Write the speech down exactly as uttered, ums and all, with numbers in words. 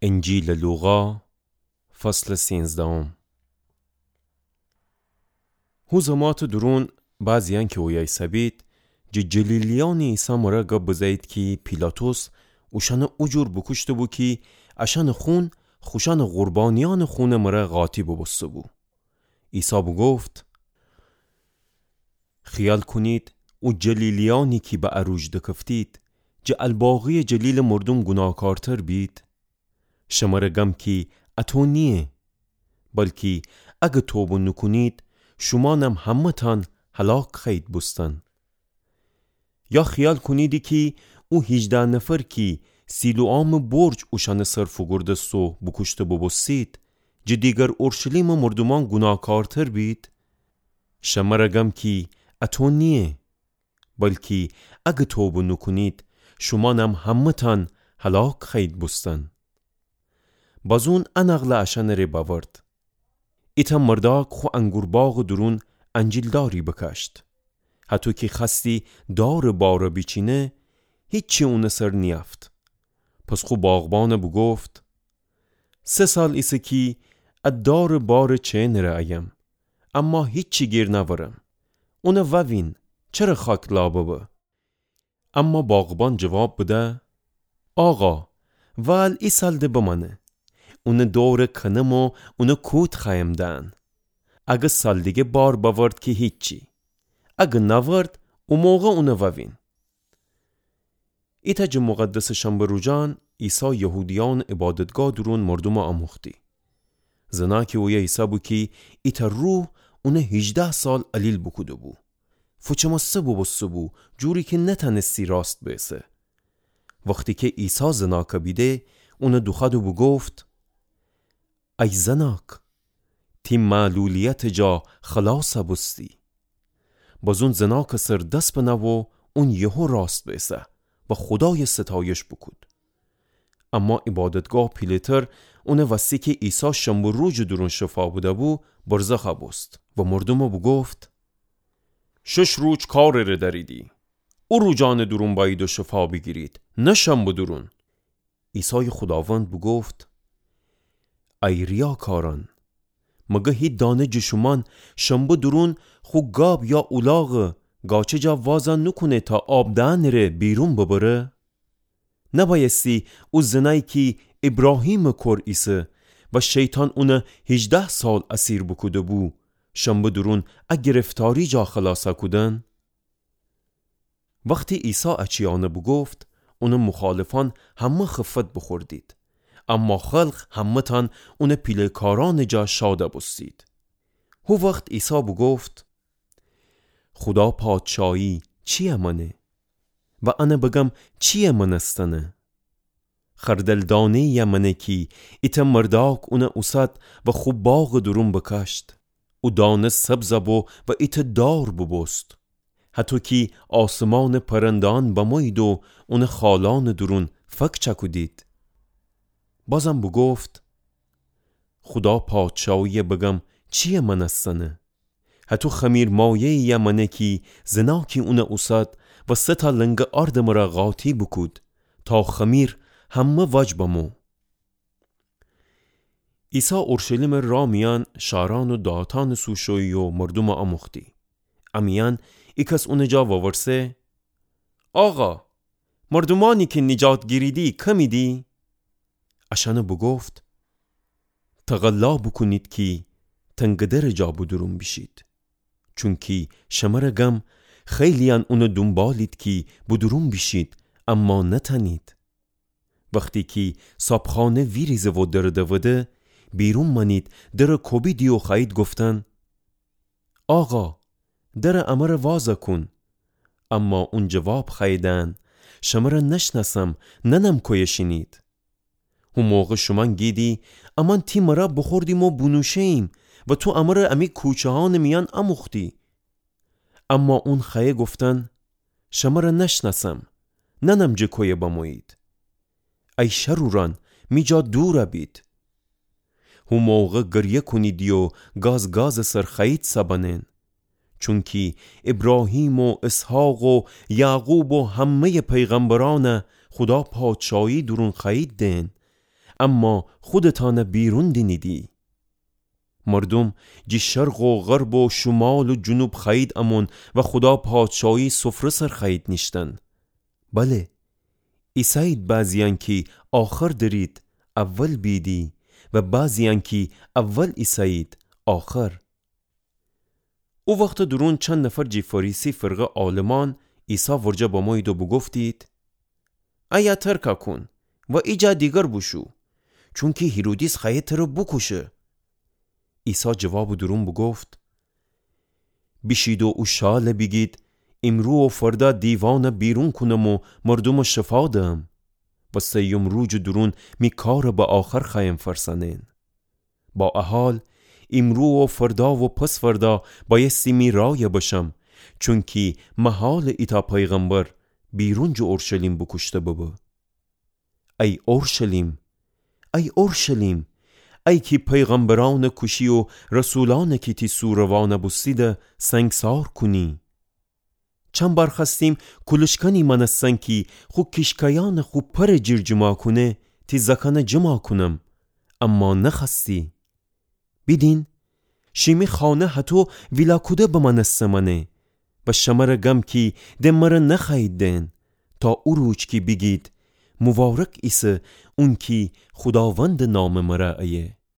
انجیلٚ لوقا، فصلٚ سینزدهم. هو زماتٚ دورون بعضیأن کی اویه ایسه‌بید، جٚه جلیلیأنٚ عیسی مره گب بزه‌یید کی پیلاطس اوشأنَ او جور بوکوشته‌بو کی اشأنٚ خون خوشأنٚ قربانیأنٚ خونٚ مره قاطی بوبوسته‌بو. عیسی بوگفت: خیال کونید او جلیلیأنی کی به ا روج دکفتید، جٚه الباقیٚ جلیلٚ مردوم گوناهکارتر بید؟ شمره گم کی اطو نییه، بلکی اگه توبه نوکونید، شومأنم همه‌تأن هلاک خوأیید بوستن. یا خیال کونیدی کی او هیجده نفر کی سیلوآمٚ برج اوشأنٚ سر فوگورده‌ست و بوکوشته بوبوستید، جٚه دیگر اورشلیمٚ مردومأن گوناهکارتر بید؟ شمره گم کی اطو نییه، بلکی اگه توبه نوکونید، شومأنم همه‌تأن هلاک خوأیید بوستن. بازون ا نقلَ اشأنٚ ره بأورد: ایتأ مردأک خو انگورباغٚ دورون انجیلداری بکاشت. هطو کی خوأستی دارٚ بارَ بیچینه، هیچی اونٚ سر نیأفت. پس خو باغبانَ بوگفت: سه سال ایسه کی ا دارٚ بارٚ چئنٚ ره ایم، اما هیچی گیر نأورم. اونَ ووین، چره خاک لا ببه؟ اما باغبان جواب بده: آقا، وال ای سال ده بمأنه. اونٚ دورَ کنم و اونَ کود خوأیم دأن. اگه سال دیگه بار بأورد کی هیچی. اگه نأورد، او موقع اونَ ووین. ایتأ جٚه مقدسٚ شنبه روجأن عیسی یهودیأنٚ عبادتگاه دورون مردومَ آموختی. زنأکی اویه ایسه‌بو کی ایتأ روح اونَ هیجده سال علیل بوکوده‌بو. فوچمسته بوبوسته‌بو، جوری کی نتأنستی راست بئسه. وختی کی عیسی زنأکَ بیده، اونَ دوخوأد و بوگفت: ای زنأک، تی معلولیتٚ جا خلاصَ بوستی. بازون زنأکٚ سر دس بنه و اون یهو راست بئسه و خودایَ ستایش بوکود. اما عبادتگاه پیله‌تر اونَ وستی کی عیسی شنبه روجٚ دورون شفا بده‌بو، برزخَ بوست و مردومَ بوگفت: شش روج کارٚ ره دأریدی. او روجأنٚ دورون بأیید و شفا بیگیرید، نه شنبه دورون. عیسایٚ خوداوند بوگفت: ای ریاکارأن، مگر هی دانه جٚه شومأن شنبه دورون خو گاب یا اولاغَ گاچٚ جا وازَ نوکونه تا آب دأنٚ ره بیرون ببره؟ نبأیستی او زنأیی کی ایبراهیمٚ کور ایسه و شیطان اونَ هیجده سال اسیر بوکوده‌بو، شنبه دورون ا گرفتاری جا خلاصَ کودن؟ وختی عیسی ا چیأنَ بوگفت، اونٚ مخالفأن همه خفت بوخوردید، اما خلق همه‌تأن اونٚ پیله‌کارأنٚ جا شادَ بوستید. هو وخت عیسی بوگفت: خودا پادشایی چییه مأنه؟ و انَ بگم چییه مأنستنه؟ خردل دانه‌یی‌یه مأنه کی ایتأ مردأک اونَ اوسد و خو باغٚ دورون بکاشت. او دانه سبزَ بو و ایتأ دار بوبوست، هطو کی آسمانٚ پرنده‌یأن بمویید و اونٚ خالأنٚ دورون فک چکودید. بازم بوگفت: خودا پادشایی‌یه بگم چییه مأنستنه؟ هطو خمیرمایه‌یی‌یه مأنه کی زنأکی اونَ اوسد و سه تا لنگه آردٚ مره قاطی بوکود، تا خمیر همه وج بمو. عیسی اورشلیمٚ راه میأن شارأن و دهاتأنٚ سو شویی و مردومَ آموختی. ا میأن ایکس اونٚ جا وورسه: آقا، مردومأنی کی نیجات گیریدی کمیدی؟ اشأنَ بوگفت: تقلا بوکونید کی تنگٚ درٚ جا بودورون بیشید. چونکی شمره گم خیلی‌یأن اونَ دونبالید کی بودورون بیشید، اما نتأنید. وختی کی صابخانه ویریزه و درَ دوده، بیرون مأنید، درَ کوبیدی و خوأیید گفتن: آقا، درَ امره وازَ کون. اما اون جواب خوأیه دأن: شمره نشنأسم، نأنم کویه شینید. هو موقع شومأن گیدی: امأن تی مره بوخوردیم و بونوشه‌ییم و تو امره امی کوچه‌یأنٚ میأن اموختی. اما اون خوأیه گفتن: شمره نشنأسم، نأنم جٚه کویه بمویید. ای شرورأن، می جا دورَ بید. هو موقع گریه کونیدی و گاز گازٚ سر خوأیید سبنن. چونکی ایبراهیم و اسحاق و یعقوب و همه‌یٚ پیغمبرأنَ خودا پادشایی دورون خوأیید دئن، اما خودتأنَ بیرون دینیدی. مردوم جی شرق و غرب و شومال و جنوب خوأیید امون و خودا پادشاهی سفره سر خوأیید نیشتن. بله، ایسه‌یید بعضی‌یأن کی آخر درید، اول بیدی و بعضی‌یأن کی اول ایسه‌یید، آخر. او وختٚ دورون چند نفر جی فریسی فرقه عالمأن عیسی ورجه بمویید و بوگفتید: ایه ترکَ کون و ایجا دیگر بوشو، چونکی هیرودیس خوأیه تره بوکوشه. عیسی جوابٚ دورون بوگفت: بیشید و او شالَ بیگید، ایمرو و فردا دیوانَ بیرون کونم و مردومَ شفا دهم و سیوم روجٚ دورون می کارَ به آخر خوأیم فأرسأنین. با ا حال، ایمرو و فردا و پس‌فردا بأیستی می رأیَ بشم، چونکی محالٚ ایتأ پیغمبر بیرون جٚه اورشلیم بوکوشته ببه. ای اورشلیم، ای اورشلیم، ای کی پیغمبرأنَ کوشی و رسولأنَ کی تی سوروأنَ بوستیدَ سنگسار کونی! چند بار خوأستیم کولشکنی مأنستن کی خو کیشکایأنَ خو پرٚ جیر جیما کونه، تی زأکأنَ جیما کونم، اما نخوأستی. بیدین، شیمی خانه هطو ویلاکوده بمأنسته مأنه. و شمره گم کی د مره نخوأیید دئن، تا او روج کی بیگید: مبارک ایسه اونکی خوداوندٚ نامٚ مره ایه.